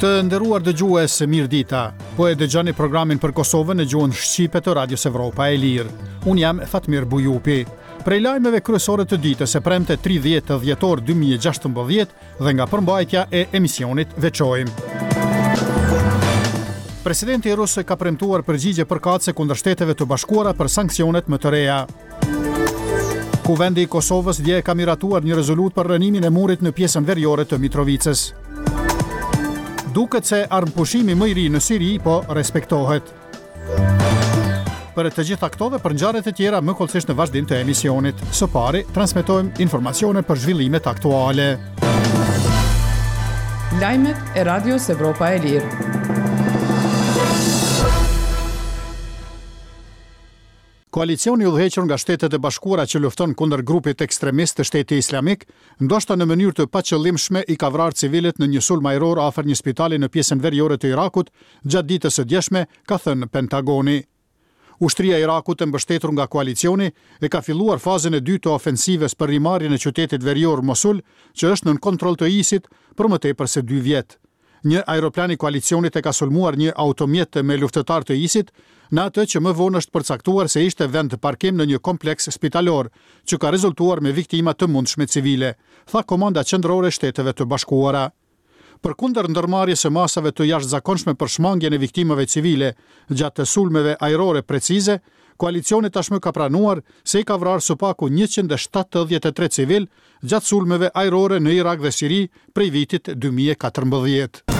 Të nderuar dëgjues, mirëdita. Po e dëgjoni programin për Kosovën në gjuhën shqipe të Radios Evropa e Lirë. Unë jam Fatmir Bujupi. Prej lajmeve kryesore të ditës së premte 30 dhjetor 2016 dhe nga përmbajtja e emisionit veçojmë. Presidenti rus ka premtuar përgjigje përkatëse kundër Shteteve të Bashkuara për sanksionet më të reja. Kuvendi i Kosovës dje ka miratuar një rezolutë për rrënimin e murit në pjesën veriore të Mitrovicës. Duket se armëpushimi më i ri në Siri po respektohet. Për të gjitha këto dhe për ngjarjet e tjera më hollësisht në vazhdim të emisionit. Së pari, transmetojmë informacione për zhvillimet aktuale. Lajmet e Radios Evropa e Lirë. Koalicioni i udhëhequr nga Shtetet e Bashkuara që lufton kundër grupit ekstremist të Shteti Islamik, ndoshta në mënyrë të paqëllimshme i ka vrarë civilët në një sulm ajror afër një spitali në pjesën veriore të Irakut gjatë ditës së djeshme, ka thënë Pentagoni. Ushtria e Irakut e mbështetur nga koalicioni e ka filluar fazën e dytë të ofensivës për rimarrjen e qytetit verior Mosul, që është nën kontroll të ISIS-it për më tepër se dy vjet. Një aeroplan i koalicionit e ka sulmuar një automjet me luftëtarë të ISIS-it, në atë që më vonë është përcaktuar se ishte vendparkim në një kompleks spitalor, që ka rezultuar me viktima të mundshme civile, tha Komanda Qendrore e Shteteve të Bashkuara. Përkundër ndërmarrjes së masave të jashtëzakonshme për shmangien e viktimave civile gjatë sulmeve ajrore precize, koalicioni tashmë ka pranuar se i ka vrarë së paku 173 civilë gjatë sulmeve ajrore në Irak dhe Siri prej vitit 2014.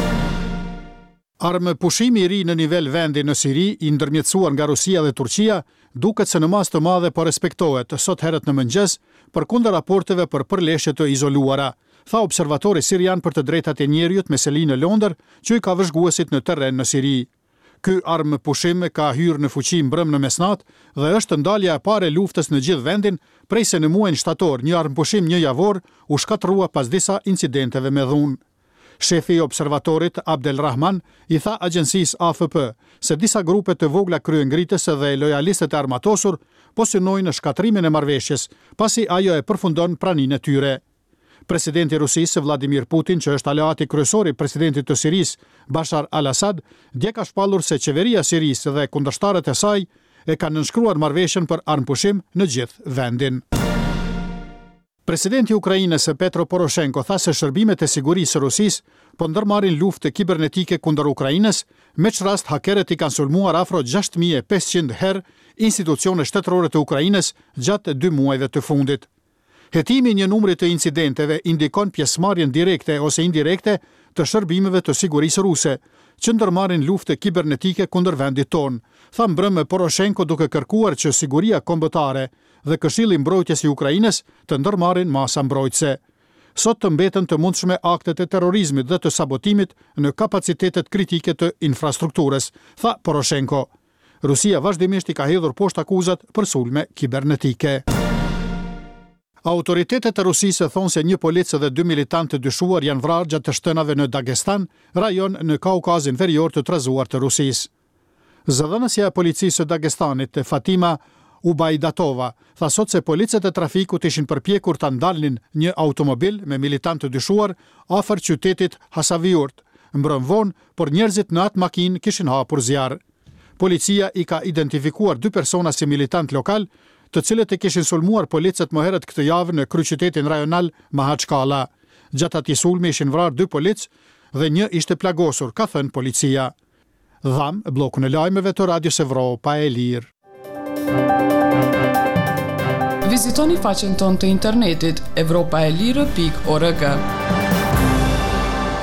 Armëpushimi i ri në nivel vendi në Siri, i ndërmjetësuar nga Rusia dhe Turqia, duket se në masë të madhe po respektohet, sot herët në mëngjes, përkundër raporteve për përleshje të izoluara, tha Observatori Sirian për të Drejtat e Njeriut me seli në Londër, që i ka vëzhguesit në terren në Siri. Ky armëpushim ka hyrë në fuqi mbrëmë në mesnatë dhe është ndalja e parë e luftës në gjithë vendin prej se në muajin shtator një armëpushim njëjavor u shkatërrua pas disa incidenteve me dhunë. Shefi i Observatorit, Abdel Rahman, i tha agjencisë AFP se disa grupe të vogla kryengritëse dhe lojalistët e armatosur po synojnë shkatërrimin e marrëveshjes, pasi ajo e përfundon praninë e tyre. Presidenti i Rusisë, Vladimir Putin, që është aleati kryesor i presidentit të Sirisë, Bashar al-Assad, dje ka shpallur se qeveria e Sirisë dhe kundërshtarët e saj e kanë nënshkruar marrëveshjen për armëpushim në gjithë vendin. Presidenti i Ukrainës, Petro Poroshenko, tha se shërbimet e sigurisë së Rusisë po ndërmarrin luftë kibernetike kundër Ukrainës, me ç'rast hakerët i kanë sulmuar afro 6500 herë institucione shtetërore të Ukrainës gjatë dy muajve të fundit. Hetimi i një numri të incidenteve indikon pjesëmarrjen direkte ose indirekte të shërbimeve të sigurisë ruse, që ndërmarrin luftë kibernetike kundër vendit tonë, tha mbrëmë Poroshenko duke kërkuar që siguria kombëtare dhe Këshilli i Mbrojtjes i Ukrainës të ndërmarrin masa mbrojtëse. Sot të mbeten të mundshme aktet e terrorizmit dhe të sabotimit në kapacitetet kritike të infrastrukturës, tha Poroshenko. Rusia vazhdimisht i ka hedhur poshtë akuzat për sulme kibernetike. Autoritetet e Rusisë thonë se një polic dhe dy militantë të dyshuar janë vrarë gjatë të shtënave në Dagestan, rajon në Kaukazin Verior të trazuar të Rusisë. Zëdhënësja e policisë së Dagestanit, Fatima Ubaidatova, tha sot se policët e trafikut ishin përpjekur ta ndalnin një automobil me militantë të dyshuar afër qytetit Hasaviurt, mbrëmë vonë, por njerëzit në atë makinë kishin hapur zjarr. Policia i ka identifikuar dy persona si militantë lokalë, të cilët e kishin sulmuar policët më herët këtë javë në kryeqytetin rajonal Mahaçkala. Gjatë atij sulmi ishin vrarë dy policë dhe një ishte plagosur, ka thënë policia. Dhamë bllokun e lajmeve të Radios Evropa e Lirë. Vizitoni faqen tonë të internetit evropaelire.org.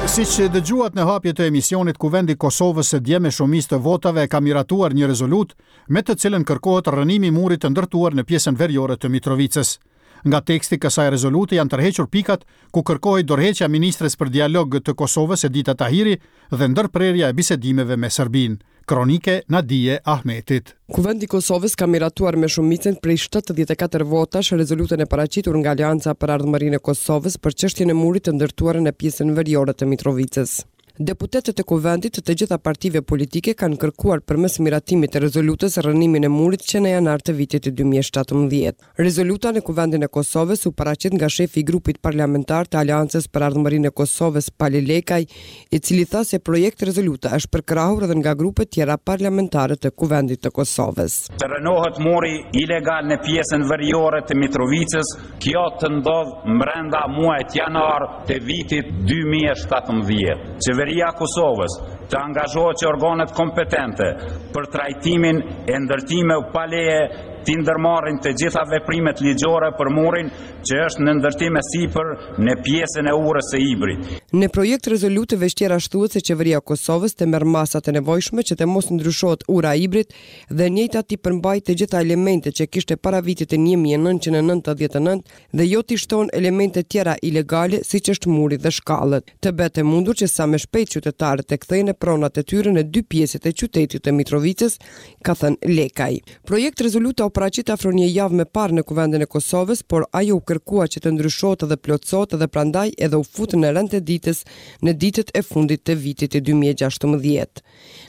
Siç dëgjuat në hapje të emisionit, Kuvendi i Kosovës dje me shumicë të votave ka miratuar një rezolutë me të cilën kërkohet rrënimi i murit të ndërtuar në pjesën veriore të Mitrovicës. Nga teksti i kësaj rezolute janë tërhequr pikat ku kërkohej dorëheqja e ministres për dialog të Kosovës Edita Tahiri dhe ndërprerja e bisedimeve me Serbinë. Kronikë e Nadije Ahmetit. Kuvendi i Kosovës ka miratuar me shumicën prej 74 votash rezolutën e paraqitur nga Aleanca për Ardhmërinë e Kosovës për çështjen e murit të ndërtuar në pjesën veriore të Mitrovicës. Deputetët e Kuvendit të të gjitha partive politike kanë kërkuar përmes miratimit të rezolutës rrënimin e murit që në janar të vitit 2017. Rezoluta në Kuvendin e Kosovës u paraqit nga shefi i grupit parlamentar të Aleancës për Ardhmërinë e Kosovës, Pali Lekaj, i cili tha se projekt-rezoluta është përkrahur edhe nga grupet tjera parlamentare të Kuvendit të Kosovës. Të rrënohet muri ilegal në pjesën veriore të Mitrovicës, Kjo të ndodhë mbrenda muajit janar të vitit 2017. Qeveria e Kosovës të angazhohet që organet kompetente për trajtimin e ndërtimeve pa leje t'i ndërmarrin të gjitha veprimet ligjore për murin që është në ndërtim e sipër në pjesën e urës së Ibrit. Në projekt-rezolutë veç tjerash thuhet se Qeveria e Kosovës të merr masat e nevojshme që të mos ndryshohet ura e Ibrit dhe e njëjta t'i përmbajë të gjitha elementet që kishte para vitit 1999 dhe jo t'i shtohen elemente tjera ilegale siç është muri dhe shkallët. Të bëhet e mundur që sa më shpejt qytetarët të kthejnë pronat e tyre në dy pjesët e qytetit të Mitrovicës, ka thënë Lekaj. Projekt-rezoluta u paraqit afro një javë më parë në Kuvendin e Kosovës, por ajo u kërkua që të ndryshohet dhe plotësohet dhe prandaj edhe u fut në rend të ditës në ditët e fundit të vitit 2016.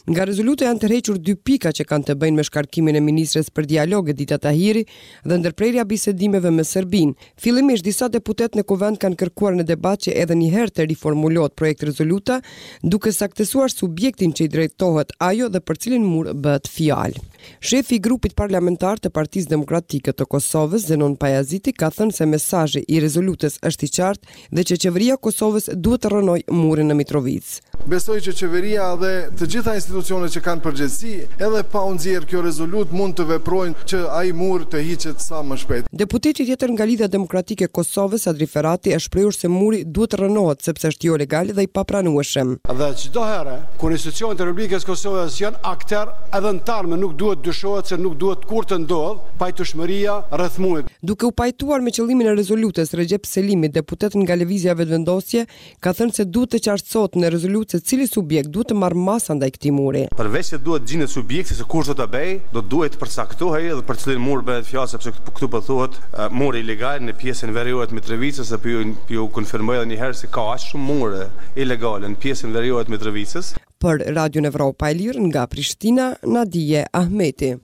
Nga rezoluta janë tërhequr dy pika që kanë të bëjnë me shkarkimin e ministres për dialog Edita Tahiri dhe ndërprerja e bisedimeve me Serbinë. Fillimisht disa deputetë në Kuvend kanë kërkuar në debat që edhe një herë të riformulohet projektrezoluta, duke saktësuar subjektin që i drejtohet ajo dhe për cilin mur bëhet fjalë. Shefi i grupit parlamentar të Partisë Demokratike të Kosovës, Zenun Pajaziti, ka thënë se mesazhi i rezolutës është i qartë dhe që Qeveria e Kosovës duhet të rrënojë murin në Mitrovicë. Besoj që Qeveria dhe të gjitha institucionet që kanë përgjegjësi, edhe pa u nxjerrë kjo rezolutë, mund të veprojnë që ai mur të hiqet sa më shpejt. Deputeti tjetër nga Lidhja Demokratike e Kosovës, Sadri Ferati, është shprehur se muri duhet të rrënohet sepse është jolegal dhe i papranueshëm. Dhe çdo herë kur institucionet e Republikës së Kosovës janë akter edhe në të ardhmen nuk duhet dyshohet se nuk duhet kurrë të ndodhë pajtueshmëria rreth murit. Duke u pajtuar me qëllimin e rezolutës, Rexhep Selimi, deputet nga Lëvizja Vetëvendosje, ka thënë se duhet të qartësohet në rezolutë se cili subjekt duhet të marrë masa ndaj këtij muri. Përveç se duhet të gjendet subjekti se kush do ta bëjë, do të duhej të përcaktohej edhe për cilin mur bëhet fjalë sepse këtu po thuhet muri ilegal në pjesën veriore të Mitrovicës dhe po ju po ju konfirmoj edhe një herë se ka aq shumë mure ilegale në pjesën veriore të Mitrovicës. Për Radion Evropa e Lirë nga Prishtina, Nadije Ahmeti.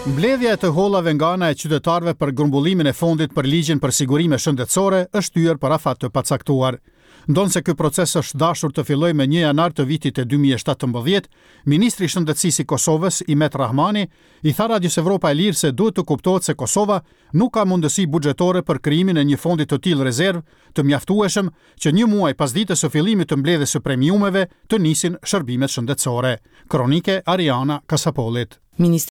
Mbledhja e të hollave nga ana e qytetarëve për grumbullimin e fondit për ligjin për sigurime shëndetësore është shtyrë për afat të pacaktuar. Ndonëse ky proces është dashur të fillojë më 1 janar të vitit 2017, ministri i Shëndetësisë i Kosovës, Imet Rrahmani, i tha Radios Evropa e Lirë se duhet të kuptohet se Kosova nuk ka mundësi buxhetore për krijimin e një fondi të tillë rezervë të mjaftueshëm që një muaj pas ditës së fillimit të mbledhjes së premiumeve të nisin shërbimet shëndetësore. Kronikë e Ariana Kasapollit.